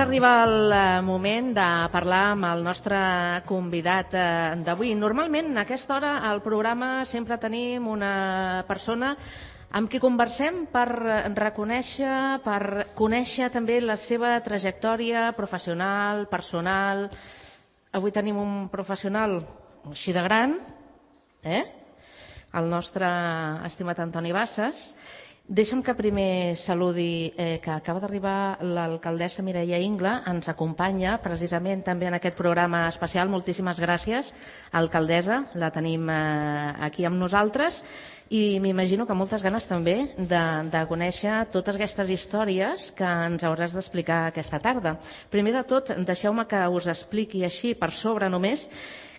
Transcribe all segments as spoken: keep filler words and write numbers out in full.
arribar el moment de parlar amb el nostre convidat d'avui. Normalment, a aquesta hora, al programa sempre tenim una persona amb qui conversem per reconèixer, per conèixer també la seva trajectòria professional, personal. Avui tenim un professional així de gran, eh? El nostre estimat Antoni Bassas. Deixa'm que primer saludi eh, que acaba d'arribar l'alcaldessa Mireia Ingla, ens acompanya precisament també en aquest programa especial. Moltíssimes gràcies, alcaldessa, la tenim eh, aquí amb nosaltres i m'imagino que moltes ganes també de, de conèixer totes aquestes històries que ens hauràs d'explicar aquesta tarda. Primer de tot, deixeu-me que us expliqui així per sobre només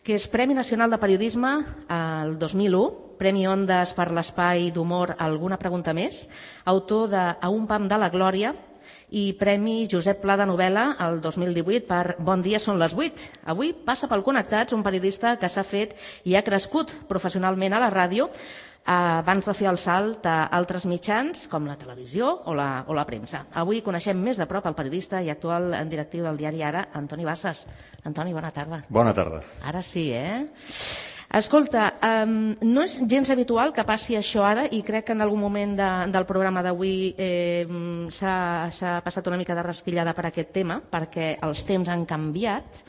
que és Premi Nacional de Periodisme el dos mil u, Premi Ondas per l'espai d'humor Alguna pregunta més, autor de A un pam de la glòria i Premi Josep Pla de novel·la el dos mil divuit per Bon dia, són les vuit. Avui passa pel Connectats un periodista que s'ha fet i ha crescut professionalment a la ràdio abans de fer el salt a altres mitjans com la televisió o la, o la premsa. Avui coneixem més de prop el periodista i actual directiu del diari Ara, Antoni Bassas. Antoni, bona tarda. Bona tarda. Ara sí, eh? Escolta, um, no és gens habitual que passi això ara i crec que en algun moment de, del programa d'avui eh, s'ha passat una mica de rastillada per aquest tema perquè els temps han canviat.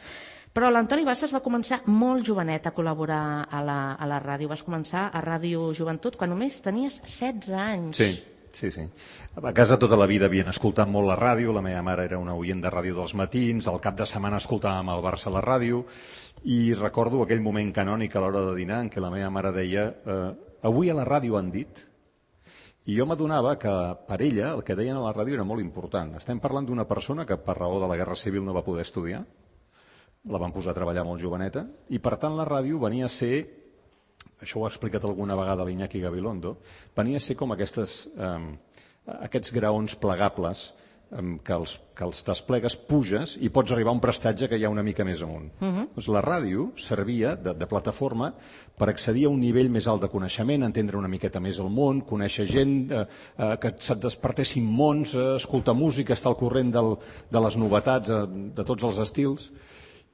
Però l'Antoni Bassas va començar molt jovenet a col·laborar a la, a la ràdio. Vas començar a Ràdio Joventut quan només tenies setze anys. Sí, sí, sí. A casa tota la vida havien escoltat molt la ràdio. La meva mare era una oient de ràdio dels matins. Al cap de setmana escoltàvem el Barça a la ràdio. I recordo aquell moment canònic a l'hora de dinar en què la meva mare deia eh, avui a la ràdio han dit. I jo m'adonava que per ella el que deien a la ràdio era molt important. Estem parlant d'una persona que per raó de la Guerra Civil no va poder estudiar. La van posar a treballar molt joveneta, i per tant la ràdio venia a ser, això ho ha explicat alguna vegada l'Iñaki Gabilondo, venia a ser com aquestes, eh, aquests graons plegables eh, que, els, que els desplegues, puges i pots arribar a un prestatge que hi ha una mica més amunt. Uh-huh. Doncs la ràdio servia de, de plataforma per accedir a un nivell més alt de coneixement, entendre una miqueta més el món, conèixer gent, eh, eh, que se't despertessin mons, eh, escoltar música, estar al corrent del, de les novetats eh, de tots els estils.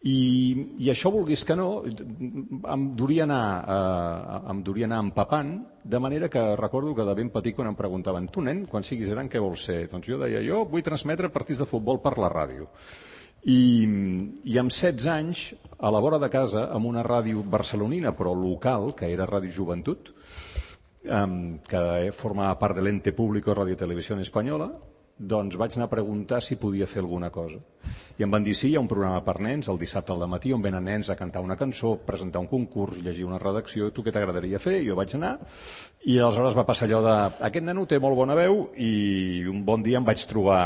I, i això, vulguis que no, em duria anar, eh, em duria anar empapant, de manera que recordo que de ben petit quan em preguntaven tu, nen, quan siguis gran què vols ser? Doncs jo deia, jo vull transmetre partits de futbol per la ràdio. I, i amb setze anys, a la vora de casa, amb una ràdio barcelonina, però local, que era Ràdio Joventut, eh, que formava part de l'ente público Radio Televisión Española, doncs vaig anar a preguntar si podia fer alguna cosa. I em van dir sí, hi ha un programa per nens el dissabte al dematí on venen nens a cantar una cançó, presentar un concurs, llegir una redacció, tu què t'agradaria fer? I jo vaig anar i aleshores va passar allò de aquest nano té molt bona veu i un bon dia em vaig trobar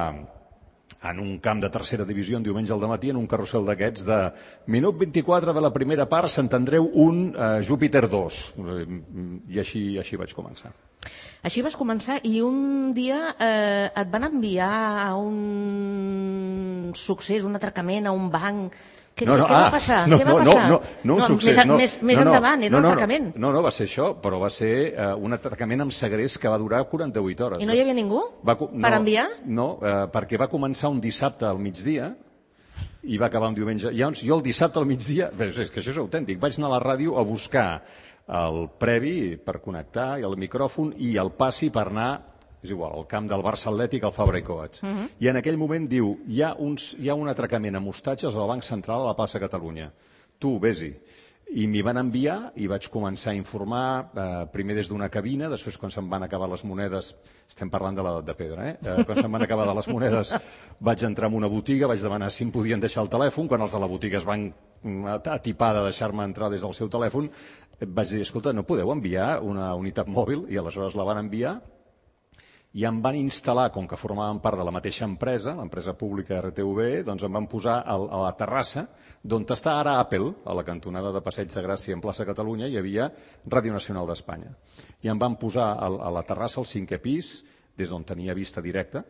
en un camp de tercera divisió un diumenge al dematí en un carrusel d'aquests de minut vint-i-quatre de la primera part, Sant Andreu un, eh, Júpiter dos. I així, així vaig començar. Així vas començar i un dia eh, et van enviar a un succés, un atracament, a un banc. Què, no, no, què ah, va passar? No, què va no, passar? no, no, no un no, succés. Més, no, més, més no, endavant, era no, un no, atracament. No, no, va ser això, però va ser uh, un atracament amb segrest que va durar quaranta-vuit hores. I no hi havia ningú va, no, per enviar? No, uh, perquè va començar un dissabte al migdia i va acabar un diumenge. Llavors, jo el dissabte al migdia, bé, és que això és autèntic, vaig anar a la ràdio a buscar el previ per connectar i el micròfon i el passi per anar, és igual, al camp del Barça Atlètic, al Fabra i Coats. Uh-huh. I en aquell moment diu, hi ha, uns, hi ha un atracament a mostatges al Banc Central a la plaça Catalunya. Tu, vés-hi. I m'hi van enviar i vaig començar a informar, eh, primer des d'una cabina, després quan se'm van acabar les monedes, estem parlant de l'edat de pedra, eh? eh quan se'm van acabar de les monedes vaig entrar en una botiga, vaig demanar si em podien deixar el telèfon, quan els de la botiga es van atipar de deixar-me entrar des del seu telèfon, vaig dir, escolta, no podeu enviar una unitat mòbil? I aleshores la van enviar i em van instal·lar, com que formaven part de la mateixa empresa, l'empresa pública R T V, doncs em van posar a la terrassa d'on està ara Apple, a la cantonada de Passeig de Gràcia en plaça Catalunya, hi havia Ràdio Nacional d'Espanya. I em van posar a la terrassa al cinquè pis, des d'on tenia vista directa,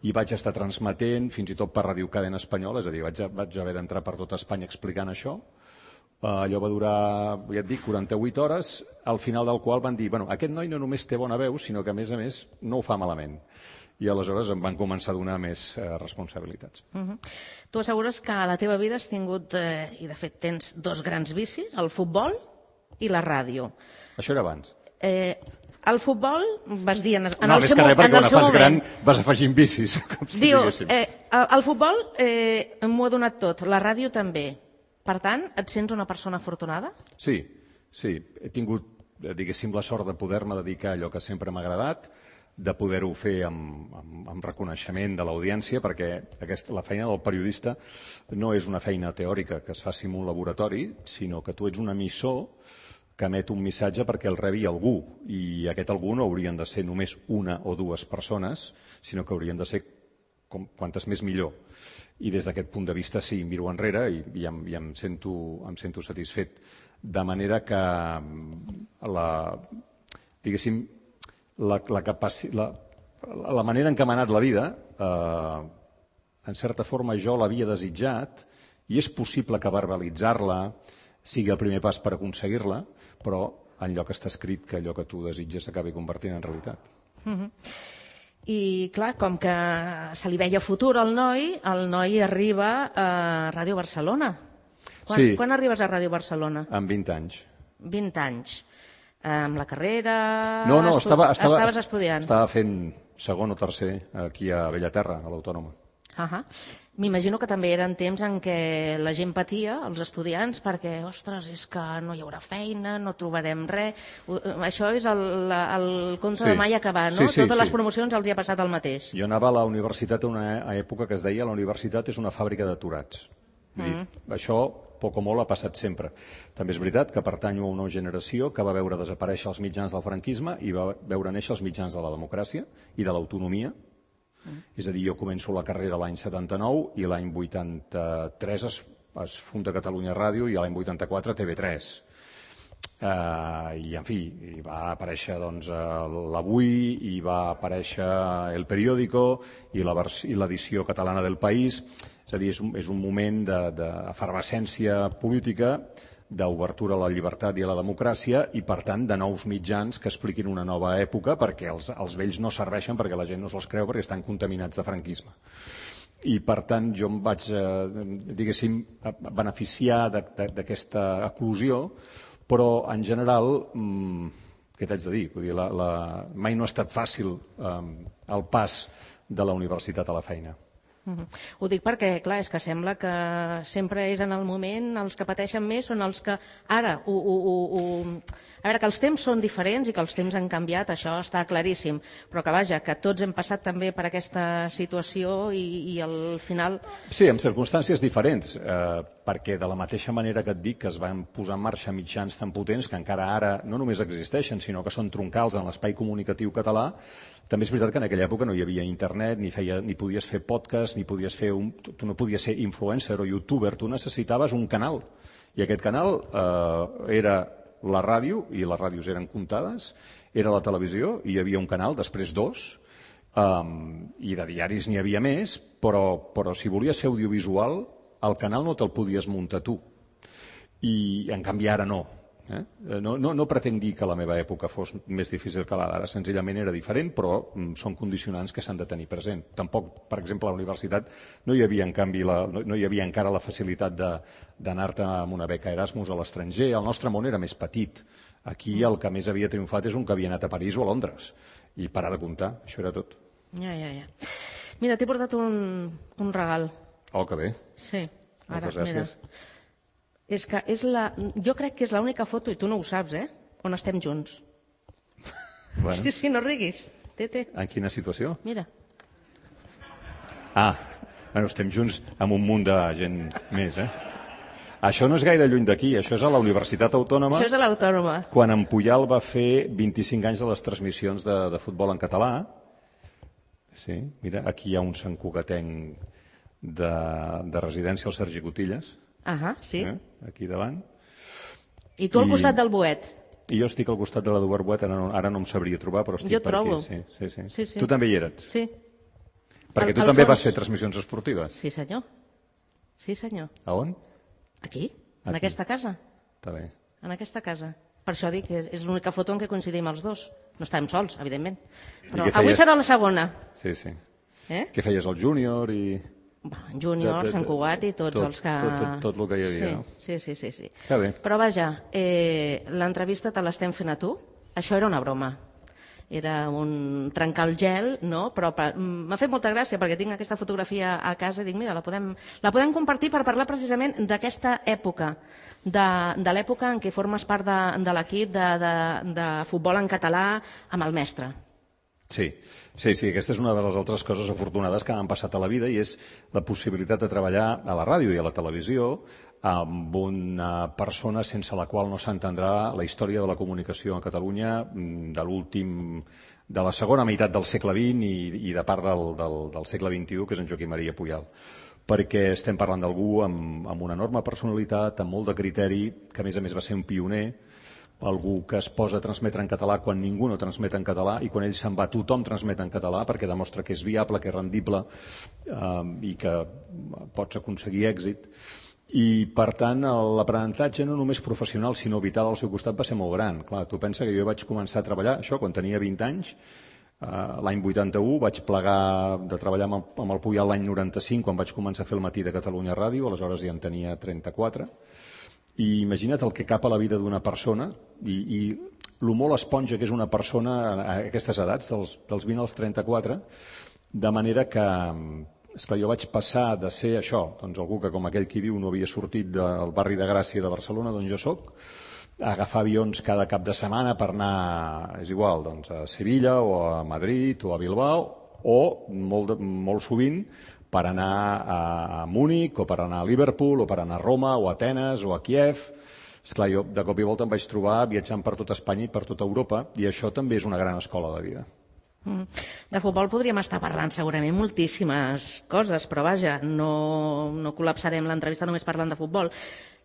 i vaig estar transmetent fins i tot per Ràdio Cadena Espanyola, és a dir, vaig, vaig haver d'entrar per tot Espanya explicant això. Uh, allò va durar, ja et dic, quaranta-vuit hores, al final del qual van dir, bueno, aquest noi no només té bona veu, sinó que a més a més no ho fa malament. i aleshores em van començar a donar més eh, responsabilitats. Uh-huh. Tu assegures que a la teva vida has tingut, eh, i de fet tens dos grans vicis, el futbol i la ràdio. Això era abans. Eh, el futbol, vas dir en, en no, el seu, que res, en el seu fas moment... gran vas afegint vicis, com si Dius, eh, el, el futbol eh, m'ho ha donat tot, la ràdio també. Per tant, et sents una persona afortunada? Sí, sí. He tingut, diguéssim, la sort de poder-me dedicar a allò que sempre m'ha agradat, de poder-ho fer amb, amb, amb reconeixement de l'audiència, perquè aquesta, la feina del periodista no és una feina teòrica que es faci en un laboratori, sinó que tu ets un emissor que emet un missatge perquè el rebi algú, i aquest algú no haurien de ser només una o dues persones, sinó que haurien de ser com, quantes més millor. I des d'aquest punt de vista sí, miro enrere i, i, em, i em, sento, em sento satisfet. De manera que la, diguéssim, la, la, capaci, la, la manera en què m'ha anat la vida, eh, en certa forma jo l'havia desitjat, i és possible que verbalitzar-la sigui el primer pas per aconseguir-la, però enlloc està escrit que allò que tu desitges s'acabi convertint en realitat. Uh-huh. I clar, com que se li veia futur al noi, el noi arriba a Ràdio Barcelona. Quan, sí. Quan arribes a Ràdio Barcelona? Amb vint anys. vint anys. Amb la carrera... No, no, estava, estava, estaves estudiant. Estava fent segon o tercer aquí a Bellaterra, a l'Autònoma. Uh-huh. M'imagino que també eren temps en què la gent patia, els estudiants, perquè, ostres, és que no hi haurà feina, no trobarem res. Això és el, el conte sí. de mai acabar, no? Sí, sí, Totes sí. les promocions els hi ha passat el mateix. Jo anava a la universitat a una època que es deia la universitat és una fàbrica d'aturats. Mm. Això, poc o molt, ha passat sempre. També és veritat que pertanyo a una generació que va veure desaparèixer els mitjans del franquisme i va veure néixer els mitjans de la democràcia i de l'autonomia. Mm. És a dir, jo començo la carrera l'any setanta-nou i l'any vuitanta-tres es, es funda Catalunya Ràdio i l'any vuitanta-quatre T V tres. Uh, I, en fi, hi va aparèixer doncs, l'Avui, i va aparèixer El Periódico i l'edició catalana del País. És a dir, és un, és un moment d'efervescència política, d'obertura a la llibertat i a la democràcia i, per tant, de nous mitjans que expliquin una nova època, perquè els, els vells no serveixen, perquè la gent no se'ls creu, perquè estan contaminats de franquisme. I, per tant, jo em vaig, eh, diguéssim, beneficiar d'aquesta eclosió, però, en general, mmm, què t'haig de dir? Vull dir la, la... mai no ha estat fàcil eh, el pas de la universitat a la feina. Uh-huh. Ho dic perquè, clar, és que sembla que sempre és en el moment els que pateixen més són els que ara ho, ho, ho, ho... A veure, que els temps són diferents i que els temps han canviat, això està claríssim, però que vaja, que tots hem passat també per aquesta situació i, i al final... Sí, en circumstàncies diferents, eh, perquè de la mateixa manera que et dic que es van posar en marxa mitjans tan potents que encara ara no només existeixen, sinó que són troncals en l'espai comunicatiu català, també és veritat que en aquella època no hi havia internet, ni, feia, ni podies fer podcast, ni podies fer un, tu no podies ser influencer o youtuber, tu necessitaves un canal. I aquest canal eh, era la ràdio, i les ràdios eren comptades, era la televisió, i hi havia un canal, després dos, um, i de diaris n'hi havia més, però, però si volies fer audiovisual, el canal no te'l podies muntar tu. I en canvi ara no. Eh? No, no, no pretenc dir que la meva època fos més difícil que la d'ara, senzillament era diferent, però mm, són condicionants que s'han de tenir present. Tampoc, per exemple, a la universitat no hi havia, en canvi, la, no, no hi havia encara la facilitat d'anar-te amb una beca Erasmus a l'estranger. El nostre món era més petit. Aquí el que més havia triomfat és un que havia anat a París o a Londres. I parar de comptar, això era tot. Ja, ja, ja. Mira, t'he portat un, un regal. Oh, que bé. Sí. Ara, moltes gràcies. Mira. És que és la, jo crec que és l'única foto, i tu no ho saps, eh? On estem junts. Bueno. Sí, sí, no riguis. Té, té. En quina situació? Mira. Ah, bueno, estem junts amb un munt de gent més, eh? Això no és gaire lluny d'aquí, això és a la Universitat Autònoma. Això és a l'Autònoma. Quan en Pujal va fer vint-i-cinc anys de les transmissions de, de futbol en català. Sí, mira, aquí hi ha un santcugatenc de, de residència, el Sergi Cotillas. Ah, sí. Eh? Aquí davant. I tu al I, costat del Boet. I jo estic al costat de l'Eduard Boet, ara no, ara no em sabria trobar, però estic jo per trobo. aquí. Sí, sí, sí. Sí, sí. Tu també hi eres? Sí. Perquè al, tu al també fons... vas fer transmissions esportives. Sí, senyor. Sí, senyor. A on? Aquí, en Aquí. aquesta casa. Està bé. En aquesta casa. Per això dic que és l'única foto en què coincidim els dos. No estàvem sols, evidentment. Però feies... avui serà la segona. Sí, sí. Eh? Què feies al júnior i... Júnior, Sant Cugat i tots tot, els que... Tot, tot, tot el que hi havia, sí, no? Sí, sí, sí. sí. Que bé. Però vaja, eh, l'entrevista te l'estem fent a tu. Això era una broma. Era un trencar el gel, no? Però m'ha fet molta gràcia perquè tinc aquesta fotografia a casa i dic, mira, la podem, la podem compartir per parlar precisament d'aquesta època, de, de l'època en què formes part de, de l'equip de, de, de futbol en català amb el mestre. Sí, sí, sí, aquesta és una de les altres coses afortunades que m'han passat a la vida i és la possibilitat de treballar a la ràdio i a la televisió amb una persona sense la qual no s'entendrà la història de la comunicació a Catalunya de l'últim, de la segona meitat del segle vint i, i de part del, del, del segle vint-i-u, que és en Joaquim Maria Pujal. Perquè estem parlant d'algú amb, amb una enorme personalitat, amb molt de criteri, que a més a més va ser un pioner, algú que es posa a transmetre en català quan ningú no transmet en català i quan ell se'n va tothom transmet en català perquè demostra que és viable, que és rendible eh, i que pots aconseguir èxit. I, per tant, l'aprenentatge no només professional sinó vital al seu costat va ser molt gran. Clar, tu pensa que jo vaig començar a treballar això quan tenia vint anys, eh, l'any vuitanta-u, vaig plegar de treballar amb el, amb el Pujal l'any noranta-cinc quan vaig començar a fer el matí de Catalunya Ràdio, aleshores ja en tenia trenta-quatre. I imagina't el que cap a la vida d'una persona i, i el molt esponja que és una persona a aquestes edats, dels, dels vint als trenta-quatre, de manera que, esclar, jo vaig passar de ser això, doncs algú que com aquell qui diu no havia sortit del barri de Gràcia de Barcelona, d'on jo soc, a agafar avions cada cap de setmana per anar, és igual, doncs, a Sevilla o a Madrid o a Bilbao, o molt, molt sovint per anar a Múnich o per anar a Liverpool o per anar a Roma o a Atenes o a Kiev. Esclar, jo de cop i volta em vaig trobar viatjant per tota Espanya i per tota Europa i això també és una gran escola de vida. De futbol podríem estar parlant segurament moltíssimes coses, però vaja, no, no col·lapsarem l'entrevista només parlant de futbol.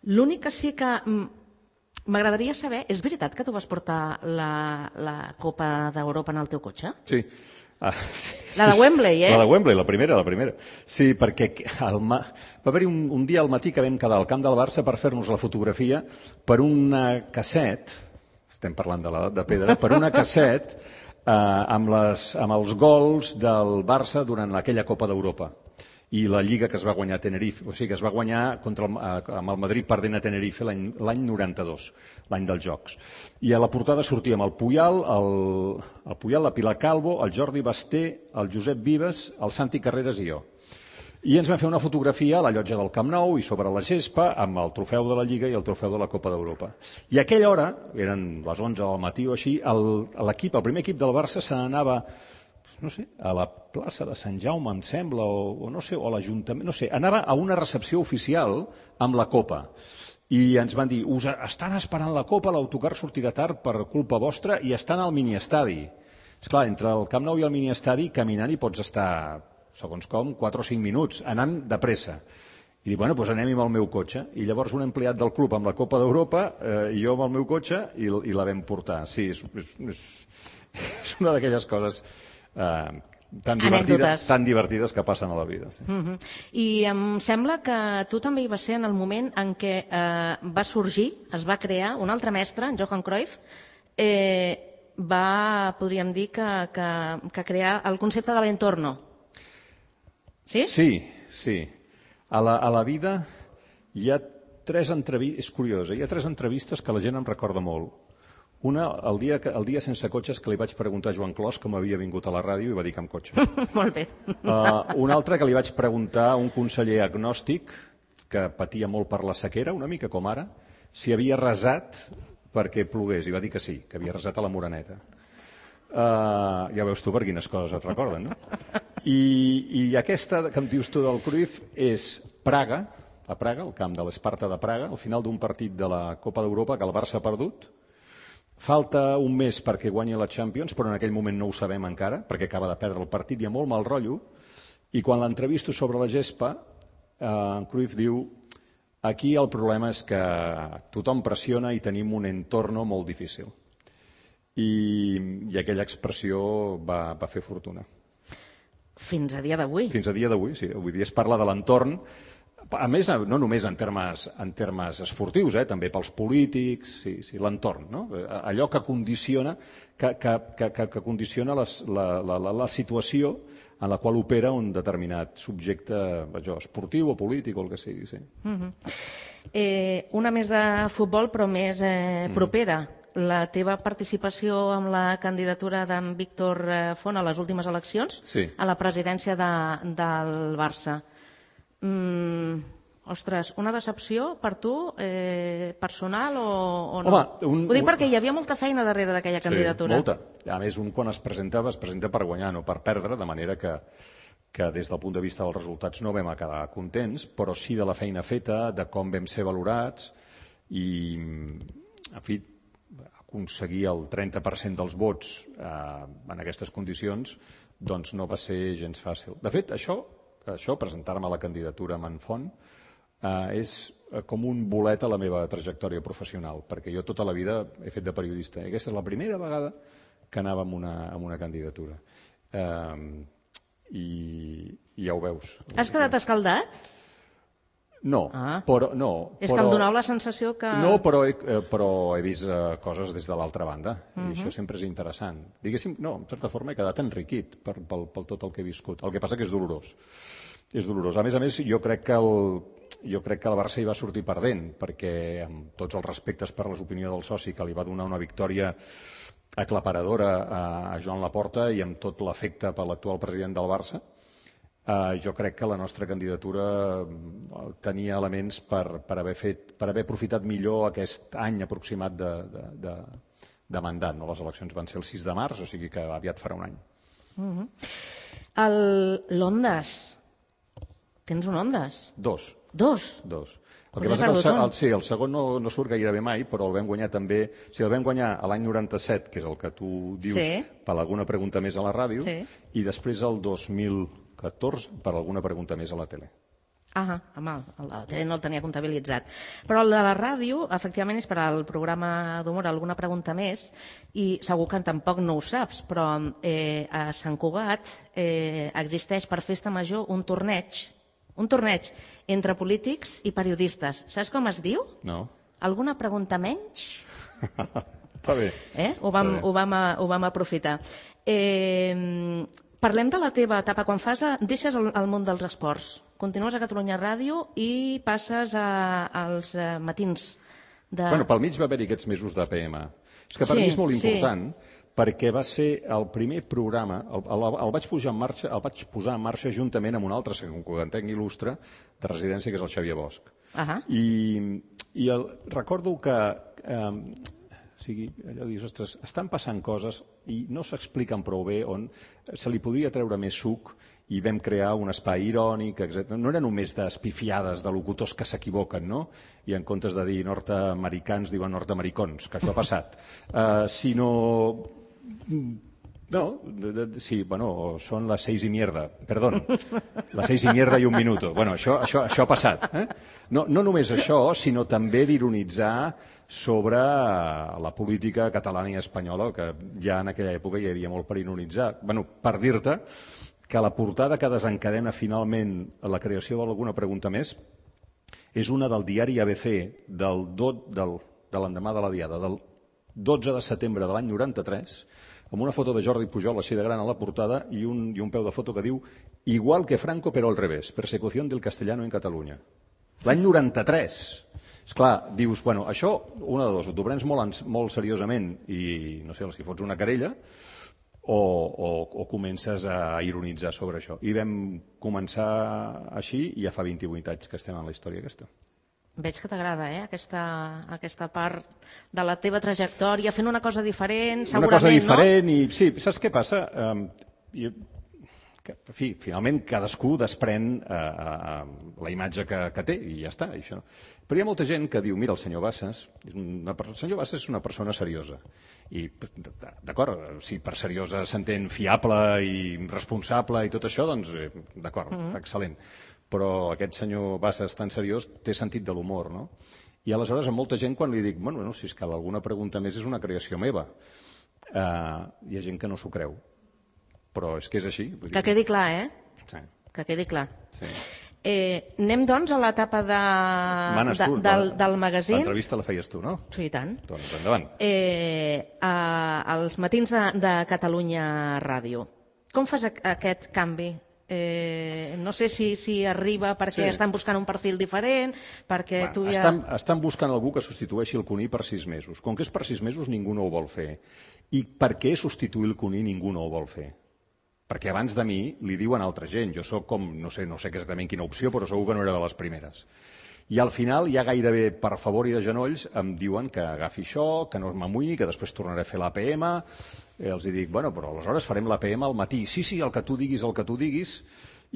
L'únic que sí que m'agradaria saber, és veritat que tu vas portar la, la Copa d'Europa en el teu cotxe? Sí. Ah, sí. La de Wembley, eh? La de Wembley, la primera, la primera. Sí, perquè el ma... va haver-hi un, un dia al matí que vam quedar al camp del Barça per fer-nos la fotografia per una casset, estem parlant de l'edat de pedra, per una casset eh, amb, les, amb els gols del Barça durant aquella Copa d'Europa i la Lliga que es va guanyar a Tenerife, o sigui que es va guanyar contra el, amb el Madrid perdent a Tenerife l'any noranta-dos, l'any dels Jocs. I a la portada sortíem el Pujal, el, el Pujal, la Pilar Calvo, el Jordi Basté, el Josep Vives, el Santi Carreras i jo. I ens vam fer una fotografia a la llotja del Camp Nou i sobre la gespa amb el trofeu de la Lliga i el trofeu de la Copa d'Europa. I a aquella hora, eren les onze del matí o així, l'equip, el, el primer equip del Barça se n'anava no sé, a la plaça de Sant Jaume, em sembla, o, o no sé, o a l'Ajuntament, no sé, anava a una recepció oficial amb la Copa. I ens van dir, us estan esperant la Copa, l'autocar sortirà tard per culpa vostra i estan al miniestadi. Esclar, entre el Camp Nou i el miniestadi, caminant hi pots estar, segons com, quatre o cinc minuts, anant de pressa. I dic, bueno, doncs anem amb el meu cotxe. I llavors un empleat del club amb la Copa d'Europa eh, i jo amb el meu cotxe i, i la vam portar. Sí, és, és, és, és una d'aquelles coses eh, tan, divertides, tan divertides que passen a la vida. Sí. Uh-huh. I em sembla que tu també hi vas ser en el moment en què eh, va sorgir, es va crear un altre mestre, en Johan Cruyff, eh, va, podríem dir, que, que, que crear el concepte de l'entorno. Sí? Sí, sí. A la, a la vida hi ha tres entrevistes, és curiós, hi ha tres entrevistes que la gent em recorda molt. Una, el dia, que, el dia sense cotxes, que li vaig preguntar a Joan Clos com havia vingut a la ràdio i va dir que amb cotxe. Molt bé. Uh, una altra que li vaig preguntar a un conseller agnòstic que patia molt per la sequera, una mica com ara, si havia resat perquè plogués, i va dir que sí, que havia resat a la Moreneta. Uh, ja veus tu per quines coses et recorden, no? I, i aquesta que em dius tu del Cruyff és Praga, a Praga, el camp de l'Esparta de Praga, al final d'un partit de la Copa d'Europa que el Barça ha perdut. Falta un mes perquè guanyi la Champions, però en aquell moment no ho sabem encara, perquè acaba de perdre el partit, hi ha molt mal rotllo, i quan l'entrevisto sobre la gespa, eh, en Cruyff diu aquí el problema és que tothom pressiona i tenim un entorn molt difícil. I, i aquella expressió va, va fer fortuna. Fins a dia d'avui. Fins a dia d'avui, sí. Avui dia es parla de l'entorn A més, no només en termes, en termes esportius, eh? També pels polítics, sí, sí, l'entorn, no? Allò que condiciona, que, que, que, que condiciona les, la, la, la, la situació en la qual opera un determinat subjecte allò, esportiu o polític o el que sigui. Sí. Uh-huh. eh, una més de futbol, però més eh, propera. Mm. La teva participació amb la candidatura d'en Víctor Font a les últimes eleccions, sí, a la presidència de, del Barça. Mm, ostres, una decepció per tu, eh, personal o, o no? Home, un, Ho dic perquè hi havia molta feina darrere d'aquella candidatura. Sí, molta. A més, un quan es presenta, es presenta per guanyar, no per perdre, de manera que, que des del punt de vista dels resultats no vam acabar contents, però sí de la feina feta, de com vam ser valorats i, en fi, aconseguir el trenta per cent dels vots eh, en aquestes condicions doncs no va ser gens fàcil. De fet, això, això presentar-me a la candidatura amb en Font, eh, és com un bolet a la meva trajectòria professional, perquè jo tota la vida he fet de periodista. I aquesta és la primera vegada que anava amb una, amb una candidatura. Eh, i, I ja ho veus. Has quedat escaldat? No, ah. però... No, és però, que em donava la sensació que... No, però he, però he vist uh, coses des de l'altra banda, uh -huh. i això sempre és interessant. Diguéssim, no, en certa forma he quedat enriquit per, per, per tot el que he viscut. El que passa que és dolorós. És dolorós. A més a més, jo crec que el, jo crec que el Barça hi va sortir perdent, perquè amb tots els respectes per les opinions del soci, que li va donar una victòria aclaparadora a, a Joan Laporta i amb tot l'afecte per l'actual president del Barça, Uh, jo crec que la nostra candidatura tenia elements per, per, haver fet, per haver aprofitat millor aquest any aproximat de, de, de, de mandat. No? Les eleccions van ser el sis de març, o sigui que aviat farà un any. Uh-huh. L'Ondas. Tens un Ondas? Dos. Dos? Dos. El que passa que el, el, sí, el segon no, no surt gairebé mai, però el vam guanyar també... O sigui, el vam guanyar a l'any noranta-set, que és el que tu dius, sí, per alguna pregunta més a la ràdio, sí, i després el dos mil catorze per alguna pregunta més a la tele. Ah, home, el de la tele no el tenia comptabilitzat. Però el de la ràdio, efectivament, és per al programa d'humor alguna pregunta més, i segur que tampoc no ho saps, però eh, a Sant Cugat eh, existeix per festa major un torneig, un torneig entre polítics i periodistes. Saps com es diu? No. Alguna pregunta menys? Està bé. Eh? Ho, vam, ho, vam, ho vam aprofitar. Eh... Parlem de la teva etapa. Quan fas a, deixes el, el món dels esports, continues a Catalunya Ràdio i passes a, als uh, matins. De... Bueno, pel mig va haver-hi aquests mesos d'A P M. És que per sí, mi és molt important, sí, perquè va ser el primer programa, el, el, el, vaig posar en marxa, el vaig posar en marxa juntament amb un altre santcugatenc il·lustre de residència, que és el Xavier Bosch. Uh -huh. I, i el, recordo que... Eh, O sigui, allò dius, ostres, estan passant coses i no s'expliquen prou bé on se li podria treure més suc i vam crear un espai irònic, etcètera. No era només d'espifiades, de locutors que s'equivoquen, no? I en comptes de dir nord-americans diuen nord-americons, que això ha passat. Uh, sinó... No, de, de, sí, bueno, són les seis i mierda, perdó, les seis i mierda i un minuto. Bueno, això, això, això ha passat. Eh? No, no només això, sinó també d'ironitzar sobre la política catalana i espanyola, que ja en aquella època hi havia molt per ironitzar. Bueno, per dir-te que la portada que desencadena finalment la creació d'alguna pregunta més és una del diari A B C del, del, de l'endemà de la Diada, del dotze de setembre de l'any noranta-tres, amb una foto de Jordi Pujol així de gran a la portada i un, i un peu de foto que diu «Igual que Franco però al revés, persecución del castellano en Catalunya». L'any noranta-tres. Esclar, dius, bueno, això, una de dos, o t'ho prens molt, molt seriosament i, no sé, si fots una querella o, o, o comences a ironitzar sobre això. I vam començar així i ja fa vint-i-vuit anys que estem en la història aquesta. Veig que t'agrada, eh, aquesta, aquesta part de la teva trajectòria, fent una cosa diferent, segurament, una cosa diferent, no? I sí, saps què passa? Um, jo, que, en fi, finalment cadascú desprèn uh, uh, la imatge que, que té i ja està, això. Però hi ha molta gent que diu, mira, el senyor Bassas, una, el senyor Bassas és una persona seriosa. I, d'acord, si per seriosa s'entén fiable i responsable i tot això, doncs, eh, d'acord, mm-hmm. excel·lent. Però aquest senyor Bassas tan seriós té sentit de l'humor, no? I aleshores a molta gent quan li dic, bueno, no, si és que alguna pregunta més és una creació meva, uh, hi ha gent que no s'ho creu. Però és que és així. Vull dir... Que quedi clar, eh? Sí. Que quedi clar. Sí. Eh, anem, doncs, a l'etapa de, Manes de, tu, del, la- del magazín. L'entrevista la feies tu, no? Sí, i tant. Doncs endavant. Eh, a, als matins de, de Catalunya Ràdio. Com fas a, aquest canvi? Eh, no sé si, si arriba perquè Sí. estan buscant un perfil diferent, perquè Bueno, tu ja... estan, estan buscant algú que substitueixi el Cuní per sis mesos. Com que és per sis mesos, ningú no ho vol fer. I per què substituir el Cuní ningú no ho vol fer? Perquè abans de mi li diuen altra gent. Jo sóc com, no sé, no sé exactament quina opció, però segur que no era de les primeres. I al final, ja gairebé per favor i de genolls, em diuen que agafi això, que no m'amoïni, que després tornaré a fer l'A P M. Eh, els hi dic, bueno, però aleshores farem l'A P M al matí. Sí, sí, el que tu diguis, el que tu diguis.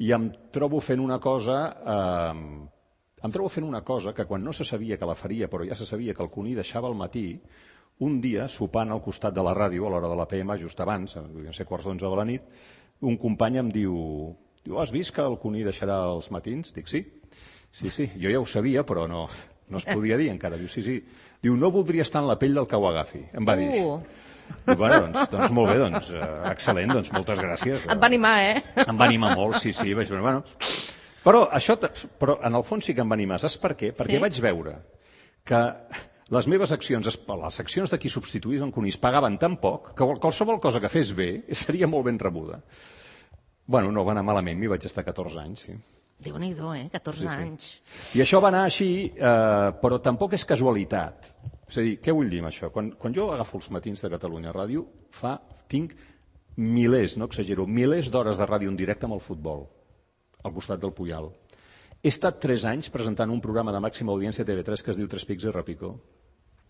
I em trobo fent una cosa... Eh, em trobo fent una cosa que quan no se sabia que la faria, però ja se sabia que el Cuní deixava al matí, un dia, sopant al costat de la ràdio, a l'hora de l'A P M, just abans, devien ser quarts d'onze de la nit, un company em diu, diu, has vist que el Cuní deixarà els matins? Dic, sí. Sí, sí, jo ja ho sabia, però no, no es podia dir encara. Diu, sí, sí. Diu, no voldria estar en la pell del que ho agafi. Em va dir. Uh. Diu, bueno, doncs, doncs molt bé, doncs, uh, excel·lent, doncs moltes gràcies. Et va animar, eh? Em va animar molt, sí, sí. Vaig, bueno, però, això, però en el fons sí que em va animar. Saps per què? Perquè Sí? vaig veure que les meves accions, les accions de qui substituís en Cuní es pagaven tan poc que qualsevol cosa que fes bé seria molt ben rebuda. Bueno, no va anar malament, m'hi vaig estar catorze anys, sí. Déu-n'hi-do, eh? catorze Sí, sí. anys. I això va anar així, eh, però tampoc és casualitat. És a dir, què vull dir amb això? Quan, quan jo agafo els matins de Catalunya Ràdio, fa, tinc milers, no exagero, milers d'hores de ràdio en directe amb el futbol, al costat del Puyal. He estat tres anys presentant un programa de màxima audiència a T V tres que es diu Tres Pics i Repicó.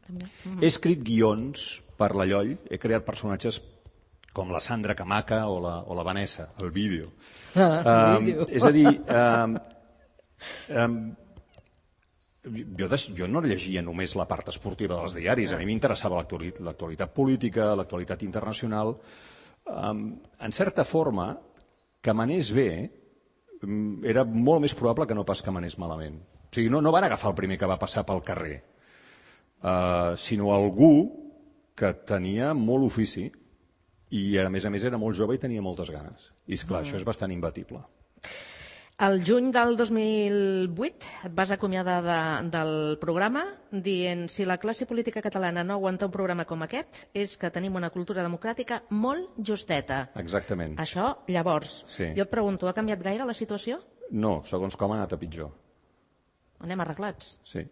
També. He escrit guions per la Lloll, he creat personatges com la Sandra Camaca o la, o la Vanessa, el vídeo. Ah, um, vídeo. és a dir, um, um, jo, des, jo no llegia només la part esportiva dels diaris, a mi m'interessava l'actualitat, l'actualitat política, l'actualitat internacional. Um, en certa forma, que m'anés bé um, era molt més probable que no pas que m'anés malament. O sigui, no, no van agafar el primer que va passar pel carrer, uh, sinó algú que tenia molt ofici i a més a més era molt jove i tenia moltes ganes. I esclar, mm. això és bastant imbatible. El juny del dos mil vuit et vas acomiadar de, del programa dient si la classe política catalana no aguanta un programa com aquest és que tenim una cultura democràtica molt justeta. Exactament. Això, llavors, Sí. jo et pregunto, ha canviat gaire la situació? No, segons com ha anat a pitjor. Anem arreglats. Sí.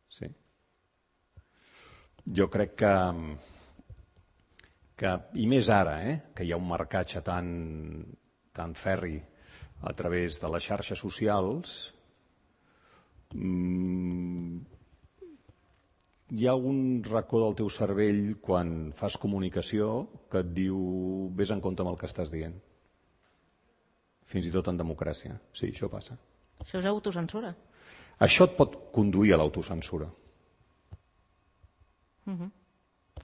Sí. Jo crec que, que i més ara, eh, que hi ha un marcatge tan, tan ferri a través de les xarxes socials, mmm, hi ha un racó del teu cervell quan fas comunicació que et diu vés en compte amb el que estàs dient. Fins i tot en democràcia. Sí, això passa. Això és autocensura. Això et pot conduir a l'autocensura. Uh-huh.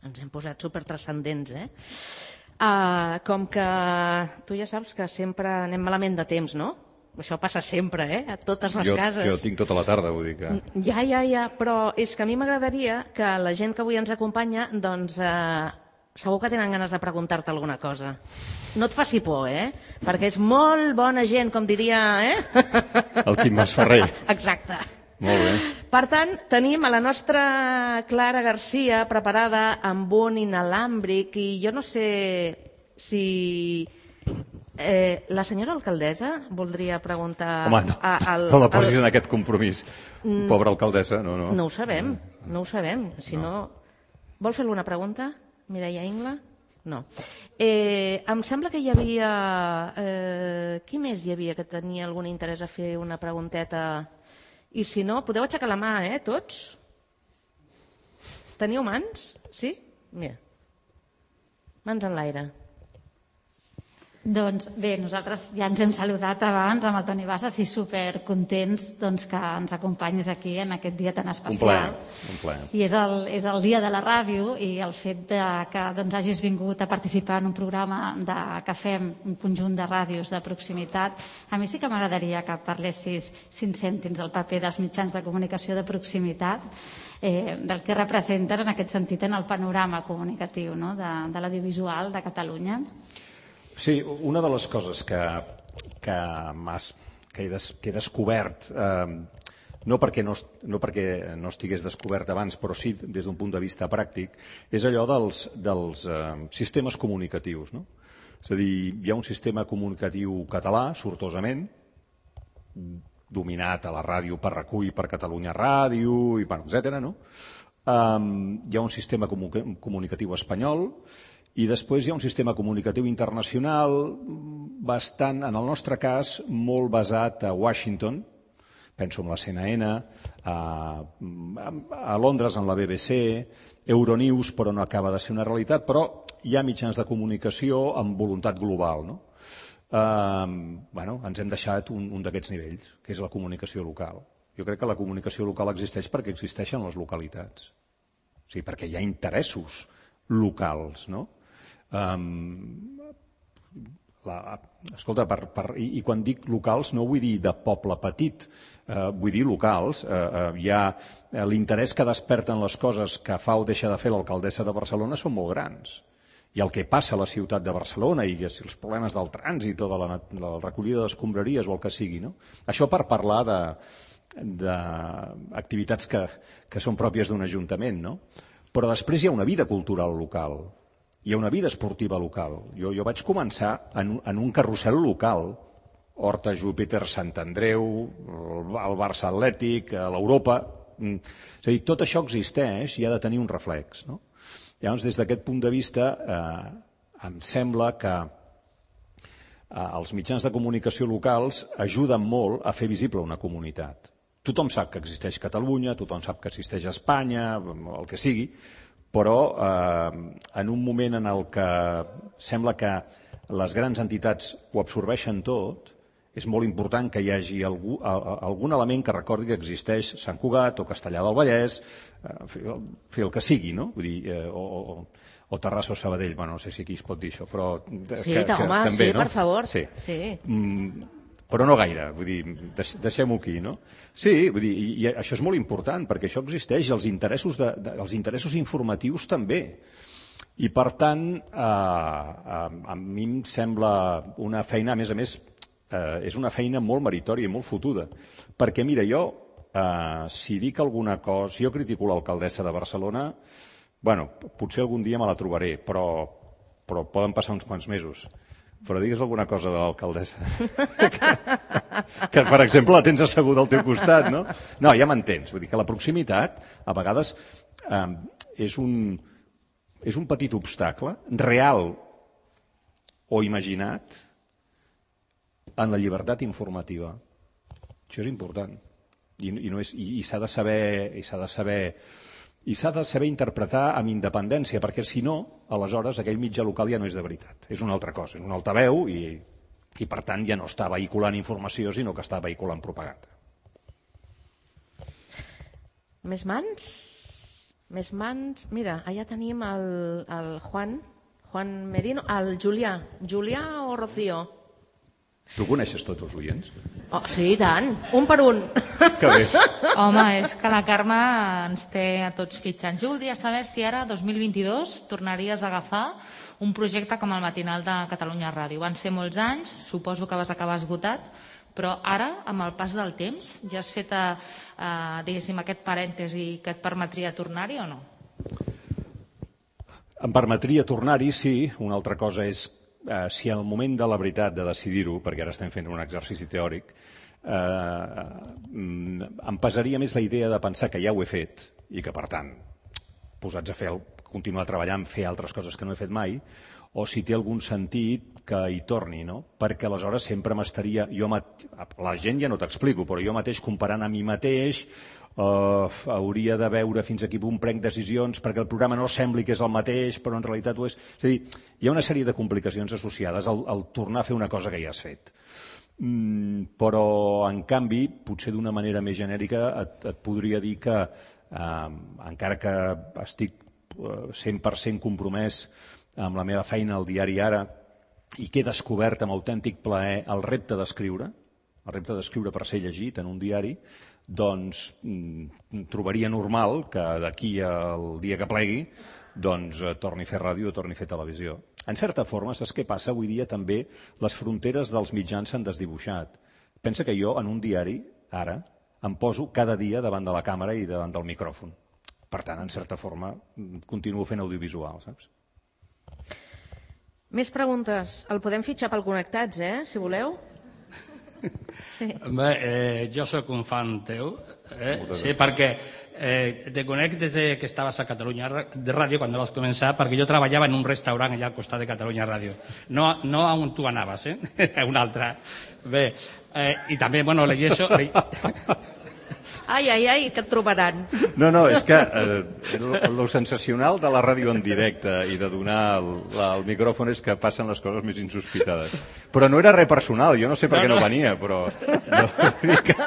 Ens hem posat supertranscendents, eh? Uh, com que tu ja saps que sempre anem malament de temps, no? Això passa sempre, eh? A totes les jo, cases. Jo tinc tota la tarda, vull dir que... Ja, ja, ja, però és que a mi m'agradaria que la gent que avui ens acompanya, doncs, eh, segur que tenen ganes de preguntar-te alguna cosa. No et faci por, eh? Perquè és molt bona gent, com diria, eh? El Quim Masferrer. Exacte. Molt bé. Per tant, tenim a la nostra Clara Garcia preparada amb un inalàmbric i jo no sé si... Eh, la senyora alcaldessa voldria preguntar... Home, no, a, al, no la posis al... en aquest compromís. Mm. Pobra alcaldessa, no, no. No ho sabem, no ho sabem. Si no... no... Vol fer alguna pregunta, Mireia Ingla? No. Eh, em sembla que hi havia... Eh, qui més hi havia que tenia algun interès a fer una pregunteta? I si no, podeu aixecar la mà, eh, tots? Teniu mans? Sí? Mira. Mans en l'aire. Doncs bé, nosaltres ja ens hem saludat abans amb el Toni Bassas i supercontents doncs, que ens acompanyis aquí en aquest dia tan especial. Un plaer, un plaer. I és el, és el dia de la ràdio i el fet de que doncs, hagis vingut a participar en un programa de, que fem un conjunt de ràdios de proximitat, a mi sí que m'agradaria que parlessis cinc cèntims del paper dels mitjans de comunicació de proximitat, eh, del que representen en aquest sentit en el panorama comunicatiu, no? de, de l'audiovisual de Catalunya. Sí, una de les coses que, que, que he, des, que he descobert, eh, no, perquè no, no perquè no estigués descobert abans, però sí des d'un punt de vista pràctic, és allò dels, dels eh, sistemes comunicatius. No? És a dir, hi ha un sistema comunicatiu català, sortosament, dominat a la ràdio per Recull, per Catalunya Ràdio, i bueno, etcètera. No? Um, hi ha un sistema comunicatiu espanyol i després hi ha un sistema comunicatiu internacional bastant, en el nostre cas, molt basat a Washington, penso en la C N N, a, a Londres en la B B C, Euronews, però no acaba de ser una realitat, però hi ha mitjans de comunicació amb voluntat global, no? Uh, bueno, ens hem deixat un, un d'aquests nivells, que és la comunicació local. Jo crec que la comunicació local existeix perquè existeixen les localitats. O sigui, perquè hi ha interessos locals, no? Um, la, escolta, per, per, i, i quan dic locals no vull dir de poble petit, uh, vull dir locals. Uh, uh, hi ha uh, l'interès que desperten les coses que fa o deixa de fer l'alcaldessa de Barcelona són molt grans. I el que passa a la ciutat de Barcelona i els problemes del trànsit o de la, de la recollida d'escombraries o el que sigui, no? Això per parlar de, d'activitats que, que són pròpies d'un ajuntament, no? Però després hi ha una vida cultural local, hi ha una vida esportiva local. Jo, jo vaig començar en, en un carrusel local, Horta, Júpiter, Sant Andreu, el, el Barça Atlètic, l'Europa. És a dir, tot això existeix i ha de tenir un reflex, no? Llavors, des d'aquest punt de vista, eh, em sembla que eh, els mitjans de comunicació locals ajuden molt a fer visible una comunitat. Tothom sap que existeix Catalunya, tothom sap que existeix Espanya, el que sigui, però eh, en un moment en el que sembla que les grans entitats ho absorbeixen tot, és molt important que hi hagi algú, algun element que recordi que existeix Sant Cugat o Castellar del Vallès, fer el que sigui, no? Vull dir, eh, o, o Terrassa o Sabadell, bueno, no sé si aquí es pot dir això, però... Sí, que, que, home, també, sí, no? Per favor. Sí. Sí. Mm, però no gaire, vull dir, deixem-ho aquí, no? Sí, vull dir, i, i això és molt important, perquè això existeix, els interessos, de, de, els interessos informatius també. I, per tant, eh, a, a mi em sembla una feina, a més a més, eh, és una feina molt meritòria i molt fotuda. Perquè, mira, jo, eh, si dic alguna cosa, si jo critico l'alcaldessa de Barcelona, bueno, potser algun dia me la trobaré, però, però poden passar uns quants mesos. Però digues alguna cosa de l'alcaldessa. que, que, per exemple, la tens asseguda al teu costat, no? No, ja m'entens. Vull dir que la proximitat, a vegades, eh, és un, és un petit obstacle, real o imaginat, en la llibertat informativa. Això és important. I, i, no és, i, i s'ha de saber... I s'ha de saber i s'ha de saber interpretar amb independència, perquè si no, aleshores aquell mitjà local ja no és de veritat. És una altra cosa, és un altaveu i, i per tant ja no està vehiculant informació, sinó que està vehiculant propaganda. Més mans? Més mans? Mira, allà tenim el, el Juan, Juan Merino, el Julià. Julià o Rocío? Tu coneixes tots els oients? Oh, sí, i tant. Un per un. Que bé. Home, és que la Carme ens té a tots fitxants. Jo voldria saber si ara, dos mil vint-i-dos, tornaries a agafar un projecte com el matinal de Catalunya Ràdio. Van ser molts anys, suposo que vas acabar esgotat, però ara, amb el pas del temps, ja has fet, a, a, diguéssim, aquest parèntesi que et permetria tornar-hi o no? Em permetria tornar-hi, sí. Una altra cosa és eh, si en el moment de la veritat de decidir-ho, perquè ara estem fent un exercici teòric, eh, em pesaria més la idea de pensar que ja ho he fet i que, per tant, posats a fer, continuar treballant, fer altres coses que no he fet mai, o si té algun sentit que hi torni, no? Perquè aleshores sempre m'estaria... Jo mat... La gent ja no t'explico, però jo mateix comparant a mi mateix Uh, hauria de veure fins a quin punt prenc decisions perquè el programa no sembli que és el mateix, però en realitat ho és. És a dir, hi ha una sèrie de complicacions associades al, al tornar a fer una cosa que ja has fet. Mm, però, en canvi, potser d'una manera més genèrica et, et podria dir que, uh, encara que estic uh, cent per cent compromès amb la meva feina al diari Ara i que he descobert amb autèntic plaer el repte d'escriure, el repte d'escriure per ser llegit en un diari, doncs trobaria normal que d'aquí al dia que plegui doncs torni a fer ràdio o torni a fer televisió. En certa forma, saps què passa? Avui dia també les fronteres dels mitjans s'han desdibuixat, pensa que jo en un diari, ara, em poso cada dia davant de la càmera i davant del micròfon. Per tant, en certa forma, continuo fent audiovisual, saps? Més preguntes. El podem fitxar pel Connectats, eh, si voleu. Sí. Bé, eh, jo sóc un fan teu, eh? Sí, perquè eh, te conec des de que estaves a Catalunya de Ràdio, quan vas començar, perquè jo treballava en un restaurant allà al costat de Catalunya Ràdio. No, no a on tu anaves, eh? A un altre. Bé, eh, i també, bueno, llegeixo... Ai, ai, ai, que et trobaran. No, no, és que eh, lo sensacional de la ràdio en directe i de donar el, la, el micròfon és que passen les coses més insospitades. Però no era res personal, jo no sé per què no venia, però... No, que...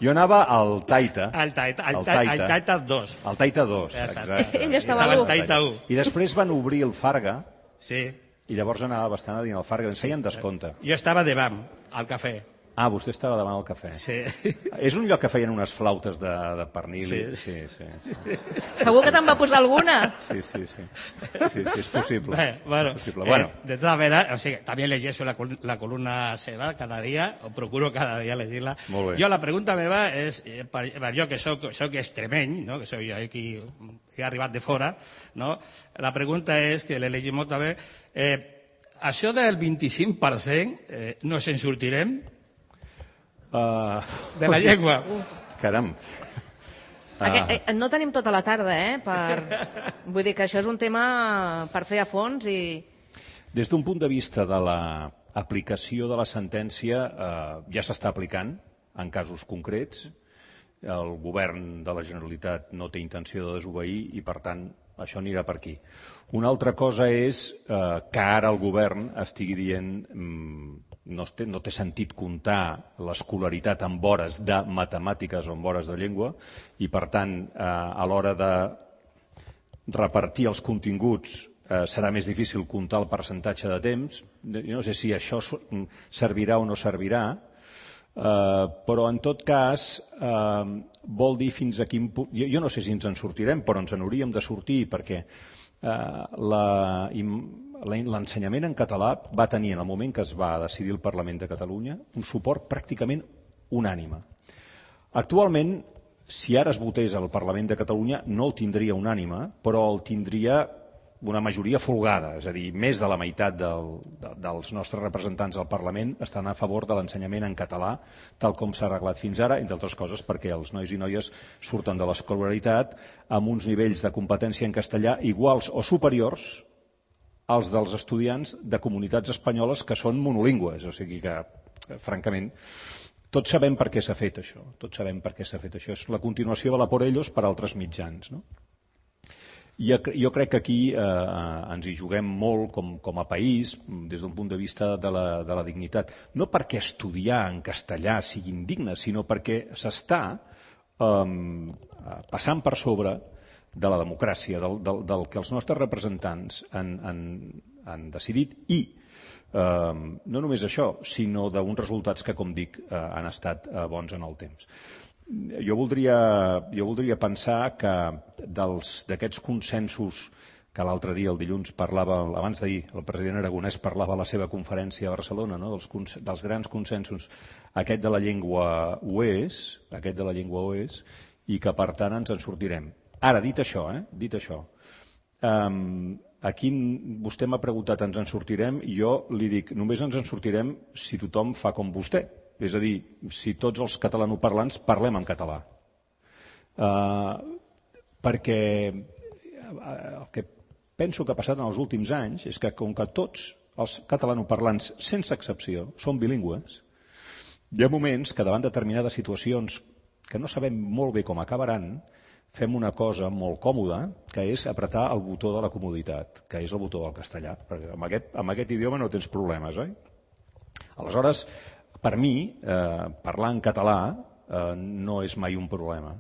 Jo anava al Taita. Al Taita, al Taita, al Taita dos. Al Taita dos, exacte. Ell estava a l'u. I després van obrir el Farga, sí. I llavors anava bastant a dins el Farga, ens feien descompte. Jo estava davant, al cafè. Ah, vostè estava davant el cafè. Sí. És un lloc que feien unes flautes de, de pernil. Sí. Sí, sí, sí. Segur que te'n va posar alguna? Sí, sí, sí. Sí, sí, és possible. Bé, bueno, és possible. bueno. Eh, de todas maneras, o sigui, també llegeixo la, la columna seva cada dia, o procuro cada dia llegir-la. Molt bé. Jo la pregunta meva és, eh, per, per jo que soc, soc extremeny, no? Que soc jo qui he arribat de fora, no? La pregunta és, que l'he llegit molt també, eh, això del vint-i-cinc per cent eh, no se'n sortirem? Uh... De la llengua. Caram. Uh... No tenim tota la tarda, eh? Per... Vull dir que això és un tema per fer a fons i... Des d'un punt de vista de l'aplicació de la sentència, eh, ja s'està aplicant en casos concrets. El govern de la Generalitat no té intenció de desobeir i, per tant, això anirà per aquí. Una altra cosa és eh, que ara el govern estigui dient... Mm, No té, no té sentit comptar l'escolaritat en hores de matemàtiques o en hores de llengua i, per tant, eh, a l'hora de repartir els continguts eh, serà més difícil comptar el percentatge de temps. Jo no sé si això servirà o no servirà, eh, però en tot cas eh, vol dir fins a quin punt... Jo, jo no sé si ens en sortirem, però ens en hauríem de sortir perquè eh, la... l'ensenyament en català va tenir, en el moment que es va decidir el Parlament de Catalunya, un suport pràcticament unànime. Actualment, si ara es votés al Parlament de Catalunya, no el tindria unànime, però el tindria una majoria folgada, és a dir, més de la meitat del, de, dels nostres representants al Parlament estan a favor de l'ensenyament en català, tal com s'ha arreglat fins ara, entre altres coses perquè els nois i noies surten de l'escolaritat amb uns nivells de competència en castellà iguals o superiors als dels estudiants de comunitats espanyoles que són monolingües, o sigui que, francament, tots sabem per què s'ha fet això, tots sabem per què s'ha fet això. És la continuació de la por ellos per altres mitjans, no? I jo crec que aquí eh, ens hi juguem molt com, com a país, des d'un punt de vista de la, de la dignitat. No perquè estudiar en castellà sigui indigne, sinó perquè s'està eh, passant per sobre de la democràcia, del, del, del que els nostres representants han, han, han decidit i eh, no només això, sinó d'uns resultats que, com dic, eh, han estat eh, bons en el temps. Jo voldria, jo voldria pensar que d'aquests consensos que l'altre dia, el dilluns, parlava, abans d'ahir, el president Aragonès parlava a la seva conferència a Barcelona, no? dels, dels grans consensos, aquest de la llengua ho és, aquest de la llengua ho és, i que per tant ens en sortirem. Ara, dit això, eh? dit això, um, aquí vostè m'ha preguntat ens en sortirem i jo li dic només ens en sortirem si tothom fa com vostè, és a dir, si tots els catalanoparlants parlem en català. Uh, perquè el que penso que ha passat en els últims anys és que com que tots els catalanoparlants, sense excepció, són bilingües, hi ha moments que davant de determinades situacions que no sabem molt bé com acabaran, fem una cosa molt còmoda, que és apretar el botó de la comoditat, que és el botó del castellà, perquè amb aquest, amb aquest idioma no tens problemes, oi? Aleshores, per mi, eh, parlar en català eh, no és mai un problema.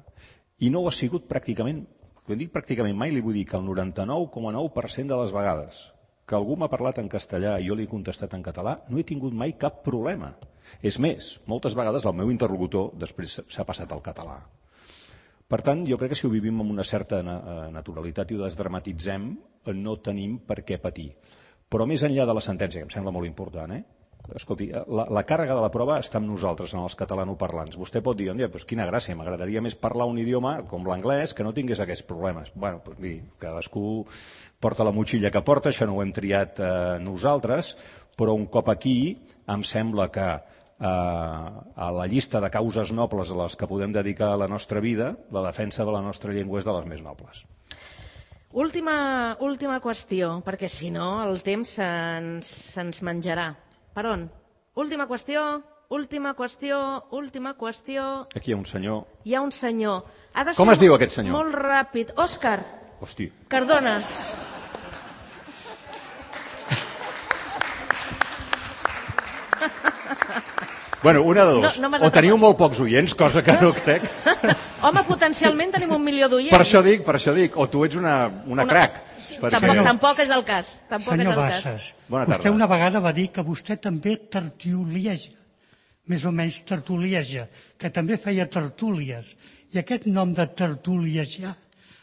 I no ho ha sigut pràcticament, quan dic pràcticament mai, li vull dir que el noranta-nou coma nou per cent de les vegades que algú m'ha parlat en castellà i jo li he contestat en català, no he tingut mai cap problema. És més, moltes vegades el meu interlocutor després s'ha passat al català. Per tant, jo crec que si ho vivim amb una certa naturalitat i ho desdramatitzem, no tenim per què patir. Però més enllà de la sentència, que em sembla molt important, eh? escolti, la, la càrrega de la prova està amb nosaltres, en els catalanoparlants. Vostè pot dir, doncs quina gràcia, m'agradaria més parlar un idioma com l'anglès que no tingués aquests problemes. Bé, doncs miri, cadascú porta la motxilla que porta, això no ho hem triat eh, nosaltres, però un cop aquí em sembla que eh, a la llista de causes nobles a les que podem dedicar la nostra vida, la defensa de la nostra llengua és de les més nobles. Última, última qüestió, perquè si no el temps se'ns se'ns menjarà. Per on? Última qüestió, última qüestió, última qüestió... Aquí hi ha un senyor... Hi ha un senyor. Ha de Com es diu aquest senyor? Molt ràpid. Òscar. Hosti. Cardona. Bueno, una de dos. No, no o teniu molt pocs oients, cosa que no crec. Home, potencialment tenim un milió d'oients. Per això dic, per això dic. O tu ets una, una, una... crac. Tampoc, Senyor, tampoc és el cas. Tampoc senyor és el Bassas, Bona tarda. vostè una vegada va dir que vostè també tertulieja, més o menys tertulieja, que també feia tertúlies. I aquest nom de tertuliejar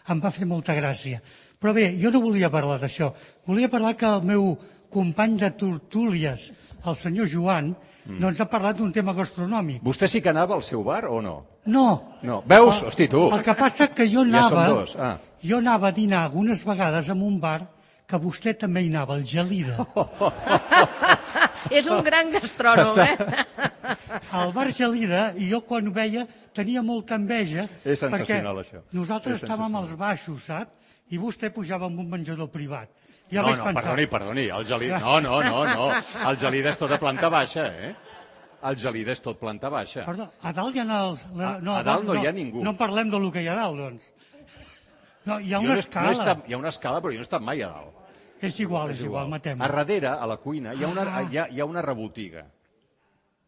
em va fer molta gràcia. Però bé, jo no volia parlar d'això. Volia parlar que el meu company de tertúlies, el senyor Joan, mm. no ens ha parlat d'un tema gastronòmic. Vostè sí que anava al seu bar o no? No. No. Veus? El, Hosti, tu. El que passa que jo Ja anava, som dos. Ah. jo anava a dinar algunes vegades en un bar que vostè també hi anava, el Gelida. És un gran gastrònom, eh? Al bar Gelida, i jo quan ho veia tenia molta enveja. És sensacional, perquè això. Nosaltres És estàvem sensacional. als baixos, sap? I vostè pujava amb un menjador privat. Ja No, vaig no, pensar... perdoni, perdoni. El Gelida... No, no, no, no. El Gelida és tot a planta baixa, eh? El Gelida és tot planta baixa. Perdó, a dalt hi ha els... A- a dalt no hi ha ningú. No parlem del que hi ha a dalt, doncs. No, hi ha Jo una no he- escala. No he estat, hi ha una escala, però jo no he estat mai a dalt. És igual, és igual, matem. A darrere, a la cuina, hi ha una, Ah. hi ha, hi ha una rebotiga.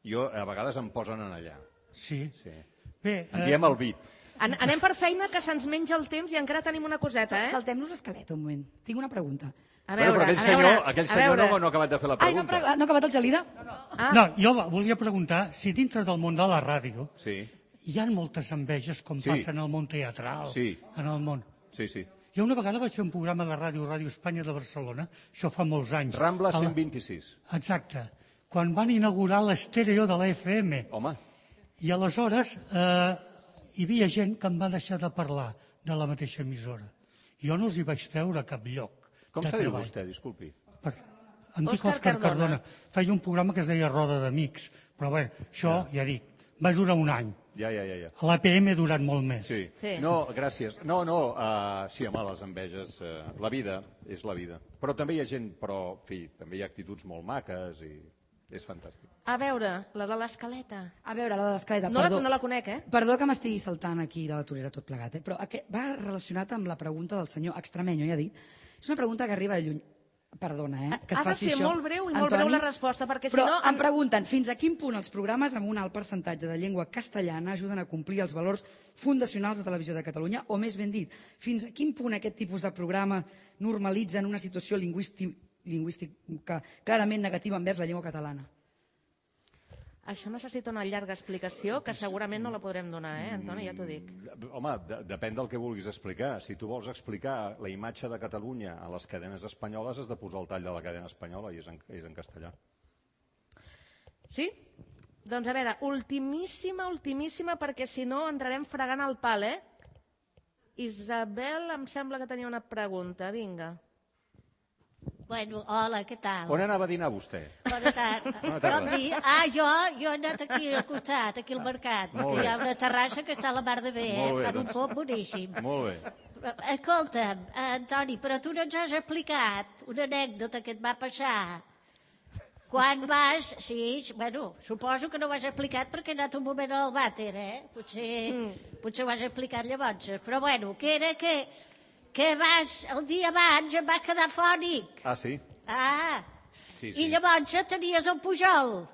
Jo, a vegades em posen en allà. Sí. Sí. Bé, En diem el vi. An anem per feina, que se'ns menja el temps i encara tenim una coseta, eh? Saltem-nos l'escaleta un moment. Tinc una pregunta. A Bueno, veure, però aquell a senyor, veure, aquell a senyor veure. no, no ha acabat de fer la Ai, no, pregunta. ha no ha acabat el Gelida? Ah. no, jo volia preguntar si dintre del món de la ràdio Sí, hi ha moltes enveges com Sí. passa en el món teatral, Sí. en el món. sí, sí. Jo una vegada vaig fer un programa de ràdio, Ràdio Espanya de Barcelona, això fa molts anys. Rambla A la- cent vint-i-sis. Exacte. Quan van inaugurar l'estèreo de la F M. Home, I aleshores eh, hi havia gent que em va deixar de parlar de la mateixa emissora. Jo no els hi vaig treure a cap lloc com de se diu treball. vostè, disculpi? Per... Em dic Òscar Òscar Cardona. Cardona. Feia un programa que es deia Roda d'Amics. Però bé, això, ja dic, va durar un any. Ja, ja, ja. ja. A l'A P M ha durat molt més. Sí. Sí. No, gràcies. No, no, uh, sí, home, les enveges, uh, la vida és la vida. Però també hi ha gent, però, en fi, també hi ha actituds molt maques i és fantàstic. A veure, la de l'escaleta. A veure, la de l'escaleta, No la, perdó. no la conec, eh? Perdó que m'estigui saltant aquí la torera tot plegat, eh? però aquest va relacionat amb la pregunta del senyor Extremenyo, ja ha dit. És una pregunta que arriba de lluny. Perdona, eh? Que et Ha de faci ser això, molt breu i molt Antoni. breu la resposta, perquè si Però no... em pregunten fins a quin punt els programes amb un alt percentatge de llengua castellana ajuden a complir els valors fundacionals de Televisió de Catalunya, o més ben dit, fins a quin punt aquest tipus de programa normalitzen una situació lingüístic, lingüística clarament negativa envers la llengua catalana? Això necessita una llarga explicació que segurament no la podrem donar, eh, Antoni? Ja t'ho dic. Home, de, depèn del que vulguis explicar. Si tu vols explicar la imatge de Catalunya a les cadenes espanyoles, has de posar el tall de la cadena espanyola i és en, és en castellà. Sí? Doncs a veure, ultimíssima, ultimíssima, perquè si no entrarem fregant el pal, eh? Isabel, em sembla que tenia una pregunta. Vinga. Bueno, hola, què tal? On anava a dinar vostè? Bona tarda. Bona tarda. Com dir? Ah, jo, jo he anat aquí al costat, aquí al mercat, Molt que bé. hi ha una terrassa que està a la mar de bé, eh? Molt bé, Fan un doncs. pop boníssim. Molt bé. Però, escolta'm, eh, Antoni, però tu no ens has explicat una anècdota que et va passar. Quan vas... Sí, bueno, suposo que no ho has explicat perquè he anat un moment al vàter, eh? Potser, mm. potser ho has explicat llavors. Però bueno, que era que, que vas, el dia abans em va quedar fònic. Ah, sí? Ah, Sí, sí. i llavors tenies el Pujol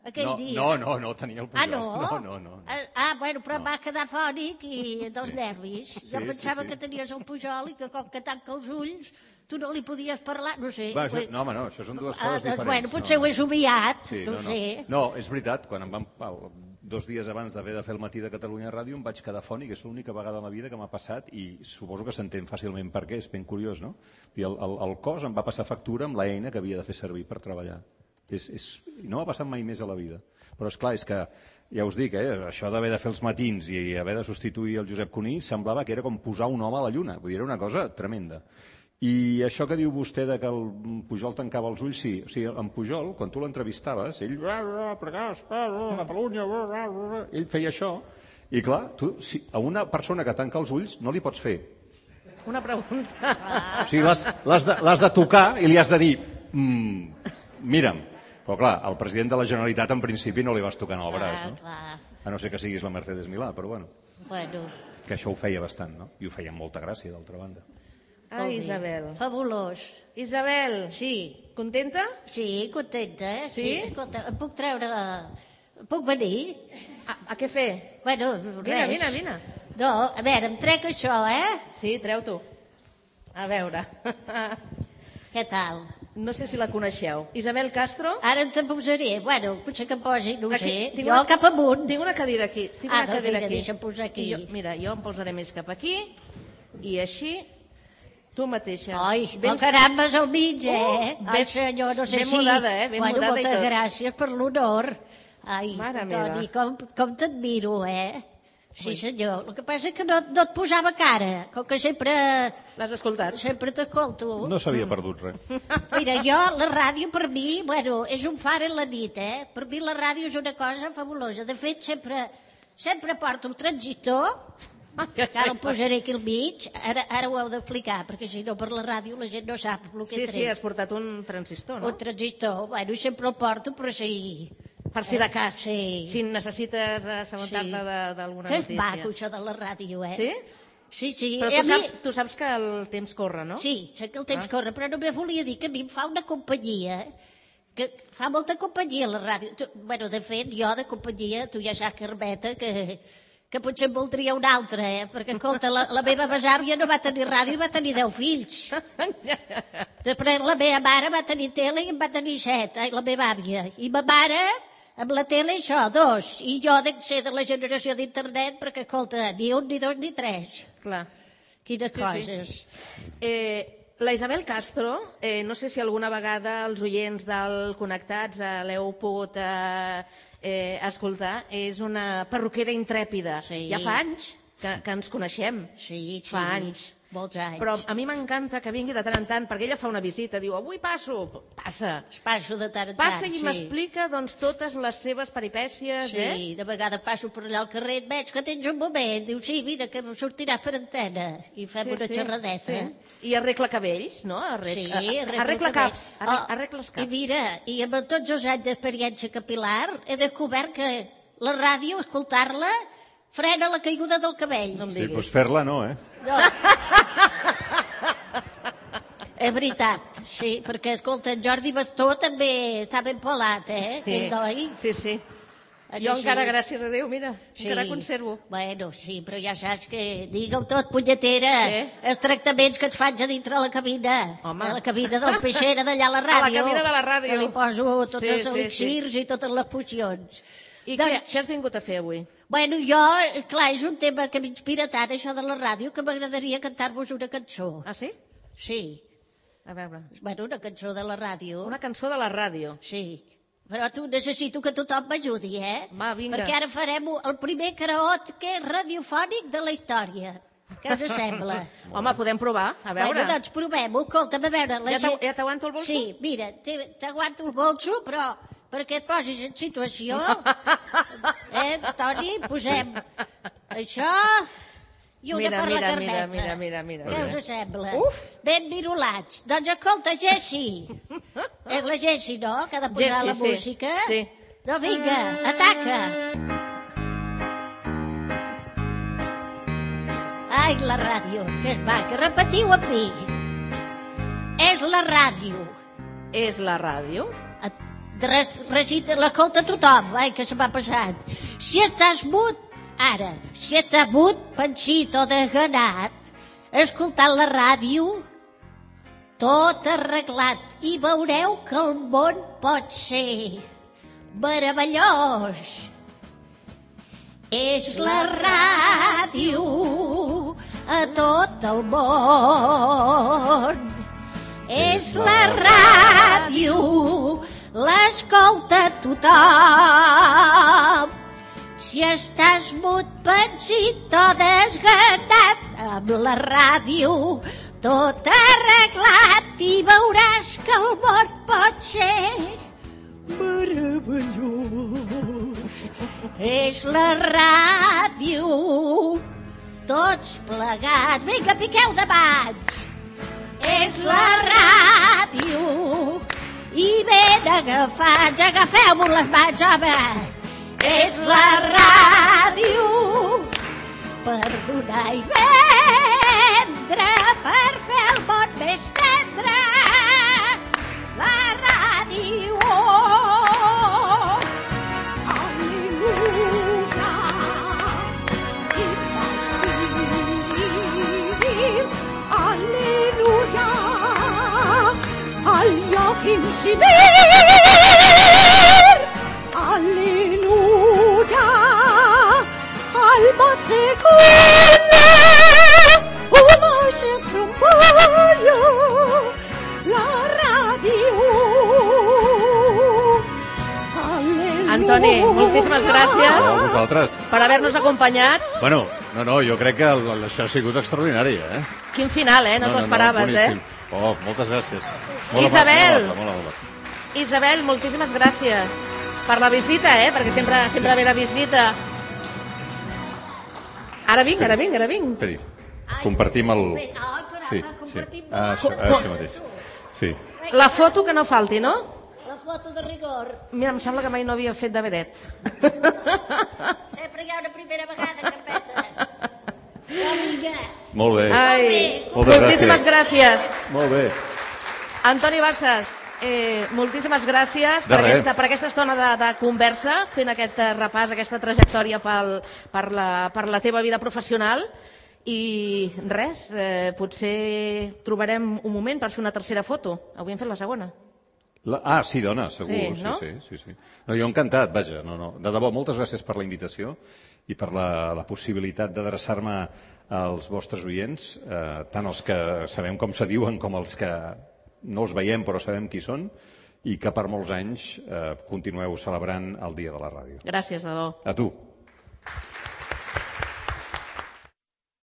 aquell No, dia. no, no, no tenia el Pujol. Ah, no? No, no, no. no. Ah, bueno, però No. em va quedar fònic i dels Sí. nervis. Sí, Jo sí, pensava sí. que tenies el Pujol i que com que tanca els ulls tu no li podies parlar, no sé. Va, això, Vull- no, home, no, això són dues Ah, coses doncs, diferents. bueno, potser no, ho he somiat, Sí, no, no, no. sé. No, és veritat, quan em van... Pau, dos dies abans d'haver de fer el matí de Catalunya Ràdio em vaig quedar fònic, és l'única vegada a la vida que m'ha passat i suposo que s'entén fàcilment per què, és ben curiós, no? I el, el, el cos em va passar factura amb l'eina que havia de fer servir per treballar. És, és, no m'ha passat mai més a la vida. Però és clar, és que, ja us dic, eh, això d'haver de fer els matins i haver de substituir el Josep Cuní semblava que era com posar un home a la lluna. Vull dir, era una cosa tremenda. I això que diu vostè de que el Pujol tancava els ulls, sí. O sigui, en Pujol, quan tu l'entrevistaves, ell... Catalunya... Ell feia això. I clar, tu, si a una persona que tanca els ulls no li pots fer. Una pregunta. O sigui, l'has de, l'has de tocar i li has de dir... Mm, mira'm. Però clar, al president de la Generalitat en principi no li vas tocant el braç, no? A no ser que siguis la Mercedes Milà, però bueno. Bueno. Que això ho feia bastant, no? I ho feia amb molta gràcia, d'altra banda. Ah, Isabel. Fabulós. Isabel. Sí. Contenta? Sí, contenta. Eh? Sí? Sí, escolta, em puc treure... Puc venir? A, a què fer? Bueno, Vine, res. vine, vine. No, a veure, em trec això, eh? Sí, treu-t'ho. A veure. Què tal? No sé si la coneixeu. Isabel Castro? Ara te posaré. Bueno, potser que em posi, no ho Aquí, sé. tinc Jo una- cap amunt. Tinc una cadira aquí. Tinc Ah, una doncs cadira vinga, aquí. deixa'm posar aquí. I Jo, mira, jo em posaré més cap aquí i així tu mateixa. Ai, Ben- oh, caramba, és al mig, eh? Oh, Ai, ben- senyor, no sé ben si... mudada, eh? Ben bueno, mudada i moltes tot. gràcies per l'honor. Ai, Mare Toni, meva. com, com t'admiro, eh? Sí, senyor. El que passa és que no, no et posava cara, com que sempre, L'has escoltat? sempre t'escolto. No s'havia perdut res. Mira, jo, la ràdio per mi, bueno, és un far en la nit, eh? Per mi la ràdio és una cosa fabulosa. De fet, sempre, sempre porto un transistor, que ara el posaré aquí al mig, ara, ara ho heu d'explicar, perquè si no per la ràdio la gent no sap el que Sí, sí, trec. has portat un transistor, no? Un transistor, bueno, i sempre el porto, però sí... Per si de cas. Sí. Si necessites assabentar-te Sí. de- d'alguna Que és notícia. maco, això de la ràdio, eh? Sí? Sí, sí. Però I a tu mi- saps, tu saps que el temps corre, no? Sí, sé que el temps Ah. corre, però només volia dir que a mi em fa una companyia, que fa molta companyia la ràdio. Tu, bueno, de fet, jo de companyia, tu ja saps, Carmeta, que, que potser en voldria una altra, eh? Perquè, escolta, la, la meva besàvia no va tenir ràdio i va tenir deu fills. Després la meva mare va tenir tele i en va tenir set, ai, la meva àvia. I ma mare, amb la tele, això, dos. I jo de ser de la generació d'internet, perquè, escolta, ni un, ni dos, ni tres. Clar. Quines Sí, sí. coses. Eh, la Isabel Castro, eh, no sé si alguna vegada els oients del Connectats eh, l'heu pogut eh, eh, escoltar, és una perruquera intrèpida. Sí. Ja fa anys que, que ens coneixem. Sí, sí. Fa anys. Molts anys. Però a mi m'encanta que vingui de tant en tant, perquè ella fa una visita, diu, avui passo, passa. Passo de tant en tant, Passa i sí. m'explica doncs, totes les seves peripècies, Sí, eh? de vegades passo per allà al carrer, et veig que tens un moment, diu, sí, mira, que sortiràs per antena, i fem Sí, una sí, xerradeta. sí. I arregla cabells, no? Arreg... Sí, a- arreglo arregla el caps. cabell. Arre... Oh, Arregla els I caps. mira, i amb tots els anys d'experiència capilar he descobert que la ràdio, escoltar-la, frena la caiguda del cabell. No em Sí, diguis. doncs fer-la no, eh? No. És veritat, sí, perquè, escolta, en Jordi Bastó també està ben pelat, eh? Sí, Aquell noi. sí, sí. Eh, Jo sí. encara, gràcies a Déu, mira, Sí. encara conservo. Bueno, sí, però ja saps que... Digue-ho tot, punyetera. Què? Els tractaments que et faig a dintre la cabina. Home. A la cabina del peixera d'allà a la A la ràdio. cabina de la ràdio. Que li poso tots Sí, els sí, elixirs i totes les pocions. I Doncs- què, què has vingut a fer avui? Bueno, jo, clar, és un tema que m'inspira tant, això de la ràdio, que m'agradaria cantar-vos una cançó. Ah, sí? Sí. A veure. Bueno, una cançó de la ràdio. Una cançó de la ràdio. Sí. Però tu necessito que tothom m'ajudi, eh? Va, vinga. Perquè ara farem el primer karaoke radiofònic de la història. Què us sembla? Home, podem provar, a veure. Bueno, doncs provem-ho. Escolta'm, a veure... La Ja t'agu- gent- ja t'aguanto el bolso? Sí, mira, te- t'aguanto el bolso, però perquè et posis en situació... Eh, Toni, posem això i una Mira, per la mira, Carmeta. mira, mira, mira, Què mira. us sembla? Uf! Ben virulats. Doncs escolta, Jessi. És la Jessi, no?, que ha de posar Jessi, la sí, música. sí. No, vinga, ataca. Ai, la ràdio, que és maca. Repetiu amb mi. És la ràdio. És la ràdio? Et- res- Recita, l'escolta tothom, ai, que se m'ha passat. Si estàs mut, ara, si estàs mut, pensit o desganat, escoltant la ràdio, tot arreglat, i veureu que el món pot ser meravellós. És la ràdio a tot el món. És la ràdio l'escolta tothom. Si estàs mut, pensit o desganat, amb la ràdio tot arreglat i veuràs que el món pot ser meravellós. És la ràdio, tots plegats. Vinga, piqueu de mans. És la ràdio i ben agafats. Agafeu-vos les mans, home. És la ràdio per donar i vendre, per fer el món més tendre. La ràdio, al·leluia, i Basil, al·leluia, al Joachim Simir, al·leluia, al Basegona, una xeframballa, la ràdio. Antoni, moltíssimes gràcies No, vosaltres. per haver-nos acompanyat. Bueno, no, no, jo crec que el, això ha sigut extraordinari, eh? Quin final, eh? No, t'ho esperaves, eh? boníssim. Oh, moltes gràcies. Molt Isabel. amable, molt amable, molt amable. Isabel, moltíssimes gràcies per la visita, eh? Perquè sempre, sempre ve de visita. Ara vinc, ara vinc, ara vinc. Esperi, compartim el... Sí, sí. Ah, això, ah, això mateix. Sí. La foto que no falti, no? La foto de rigor. Mira, em sembla que mai no havia fet de vedet. Sempre hi ha una primera vegada, Carpeta. Amiga. Molt bé. Ai, Moltes moltíssimes gràcies. Molt bé. Antoni Barsas, eh, moltíssimes gràcies De per res. aquesta, per aquesta estona de, de conversa, fent aquest eh, repàs, aquesta trajectòria pel, per, la, per la teva vida professional. I res, eh, potser trobarem un moment per fer una tercera foto. Avui hem fet la segona. La, ah, sí, dona, segur. Sí, Sí, no? sí, sí, sí. No, jo encantat, vaja. No, no. De debò, moltes gràcies per la invitació i per la, la possibilitat d'adreçar-me als vostres oients, eh, tant els que sabem com se diuen com els que no els veiem però sabem qui són, i que per molts anys eh, continueu celebrant el Dia de la Ràdio. Gràcies, de debò. A tu.